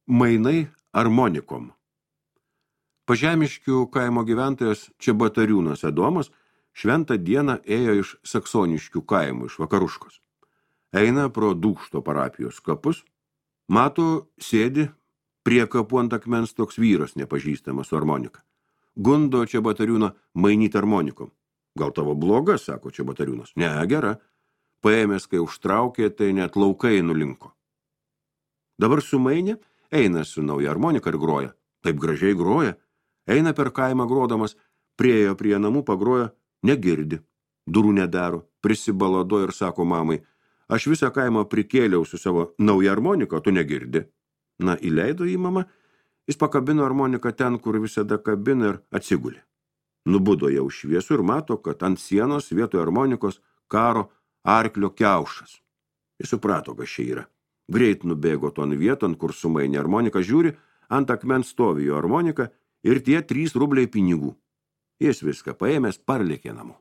Mainai armonikom. Pažemiškių kaimo gyventojas Čebatariūnas Adomas šventą dieną ėjo iš Saksoniškių kaimų, iš Vakaruškos. Eina pro Dūkšto parapijos kapus, mato, sėdi prie kapų ant akmens toks vyras nepažįstamas su armonika. Gundo Čebatariūną mainyti armonikom. Gal tavo bloga, sako Čebatariūnas. Ne, gera. Paėmęs, kai užtraukė, tai net laukai nulinko. Dabar sumainė, eina su nauja armonika ir groja. Taip gražiai groja. Eina per kaimą grodamas, priejo prie namų, pagroja, negirdi. Durų nedaro, prisibalado ir sako mamai, aš visą kaimą prikėliau su savo nauja armonika, tu negirdi. Na, įleido į mama, jis pakabino armoniką ten, kur visada kabina ir atsigulė. Nubudo jau šviesų ir mato, kad ant sienos vietoj armonikos karo arklio kiaušas. Jis suprato, kas čia yra. Greit nubėgo ton vieton, kur sumainė armonika, žiūri, ant akmens stovi jo armonika ir tie 3 rubliai pinigų. Jis viską paėmęs parlėkė namo.